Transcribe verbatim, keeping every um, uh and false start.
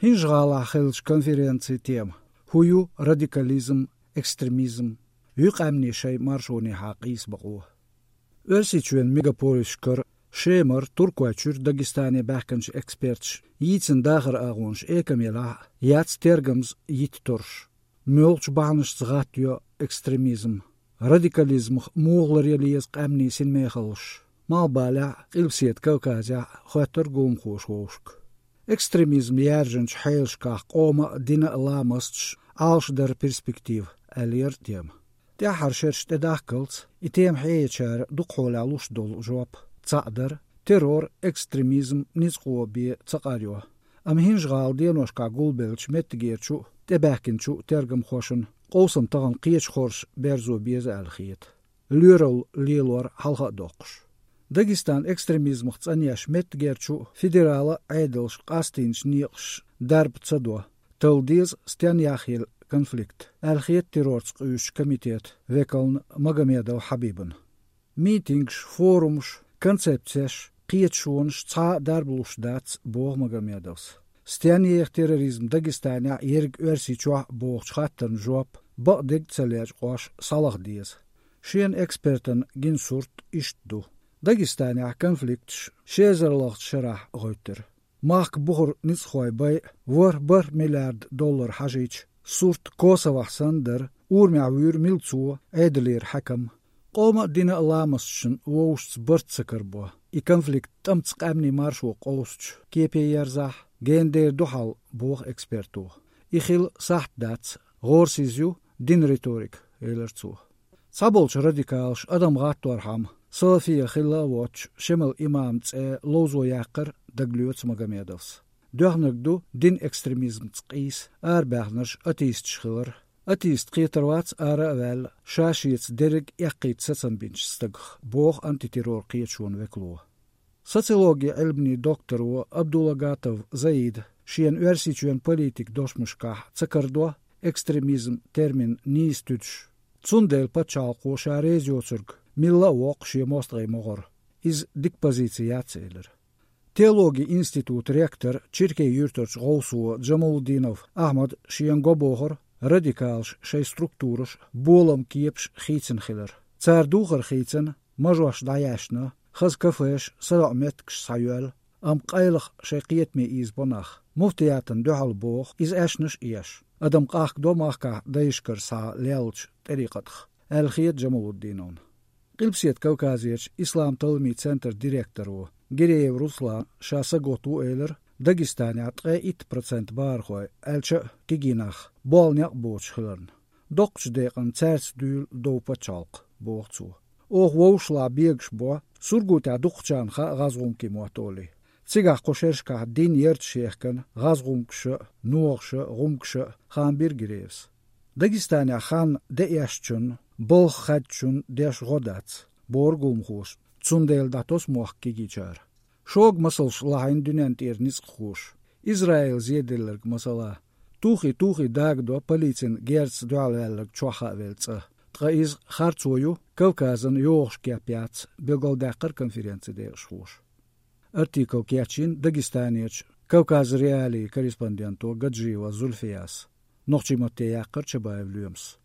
ХӀинжа-ГӀалахь хиллачу конференцин тема: «ХӀун ю радикализм, экстремизм? Юй къаьмнийн шайн маршонехьа къийса бакъо?» Оьрсийчоьнан мегаполисашкара, Шемара, Туркойчуьра Дагестане баьхкинчу эксперташа йийцина дахаран агӀонаш экамелахь а, яц тергамза йитта торш. Муьлхачу бахьанашца гӀаттайо экстремизм? Радикализмах муха ларъян еза къаьмнийн синмехаллаш? Малхбалехь а, Къилбаседа Кавказехь а хоьттура гуламхоша вовшашка. Экстремизм яьржинчу хьелашкахь къоман а, динан а ламасташ Ӏалашдаран перспектива аьлла яра тема. ТӀаьххьара шераш тӀедахккалц, и тема хьеечара дукха хьолехь луш долу жоп цхьаъ дара: террор, экстремизм ницкъо бен ца къарайо. Амма ХӀинжа-ГӀала деношкахь гулбеллачу меттигерчу а, тӀебаьхкинчу а тергамхошна къовсам тахана кхечу хорша берзо беза аьлла хета, лоьралла лелор хьалха а доккхуш. Дагестан экстремизмах цӀанъеш меттигерчу а, федералан а Ӏедалша къастийначу некъаша дарба ца до, талла деза стенна яхъелла конфликт, аьлла хета террорца къуьйсучу комитетан векална Магомедов Хьабибна. Митингаш, форумаш, концепцеш, кхеташонаш цхьа а дарба луш дац, боху Магомедовс. Стенна еха терроризм Дагестанехь а, ерриг Оьрсийчохь а бохучу хаттарна жоп бакъдерг а ца лечкъош схьалаха деза. Шена экспертана гина сурт иштта ду: Дагестанехь конфликташ ши эзар лахчу шарахь гӀоьттира. Махка бухара ницкъахой байъа ворхӀ бархӀ миллиард доллар хьажийча, сурт Косовохь санна дара, урамехь вуьйра милцо, Ӏедалера хьаькам. Къоман а, динан а ламасташна вовшашца барт ца карабо, и конфликт тӀамца къаьмнийн маршо къовсучу кепе ерзахь, гена дер ду хьал, боху эксперто. И хила сахьт дац, гӀорасиз ю динан риторика, элира цо. Цхьаболчу радикалаша адам гӀатторхьама, салафия хилла а воцуш, Шемал имаман цӀе ловзо яккхар дагалоьцу Магомедовс. Доьхнарг ду динан экстремизмца къийса арабаьхнарш атеисташ хилар. Атеист кхетар вац ара а ваьлла, ша-шеца дерриг а эккхийта сацам бинчу стагах, боху антитеррор кхеташонан векало. Социологин Ӏилманийн докторо Абдулагатов Заида шена Оьрсийчоьнан политикан дошамашкахь ца карадо экстремизм термин нийса туьдуш. Цундела пачхьалкхо ша реза йоцург милла а воккху шен мостагӀийн могӀара. Иза дика позици яц, элира. Теологин институтан ректор, Чиркей-Юьртарчу гӀовсо Джамалудинов Ахьмада шена го бохура радикалаша шайн структураша болам кепаш хийцина хилар. Цара духар хийцина, мажош дӀаяьшна, хаза кафеш, садоӀу меттигаш схьайоьлла, амма къайлаха шайн кхетаме ийзабо нах. Муфтиятана дуьхьал боху иза аьшнаш а еш, адам къахкадо махкахь дайшкара схьа леллачу тӀарикъатах, аьлла хета Джамалуддиновна. Къилбаседа Кавказерчу ислам-талламийн центран директоро Гиреев Руслана ша сагатта ву элира, Дагестанехь ткъе итт процент бахархой, аьлча а кегий нах, болу некъ боцуш хиларна. Доккхачу декъана цаьрца дуьйла дов пачхьалкх, боху цо. Оха вовшашлахь бегаш бо, Сургутехь дукхачарна хаьа гӀазгӀумкийн мотт олий. Цигахь кху шерашкахь дин ярташ ехкана гӀазгӀумкаша а, нохаша а, гӀумкаша а, хаам бира Гиреевс. Дагестанехь хан де эшначунна, балха хаьддачунна деш гӀо дац, бохура гуламхоша, цундела дӀатосу мохк кегийчара. Шога масалш лахьийна дуьнен тӀера ницкъахоша, Израилан зеделларг масала. Тухий-тухий дагадо полицин герзаца дуьхьалваьлларг чохь хаавелла цӀа. Ткъа иза харцо ю, Кавказан йогӀуш кеп яц, билгалдаьккхира конференцин декъашхоша. Артикл кечйина Дагестанерчу Кавказ.Реалии корреспонденто Гаджиева Зульфияс. Нохчийн матте яьккхира Чабаев Лоьмас.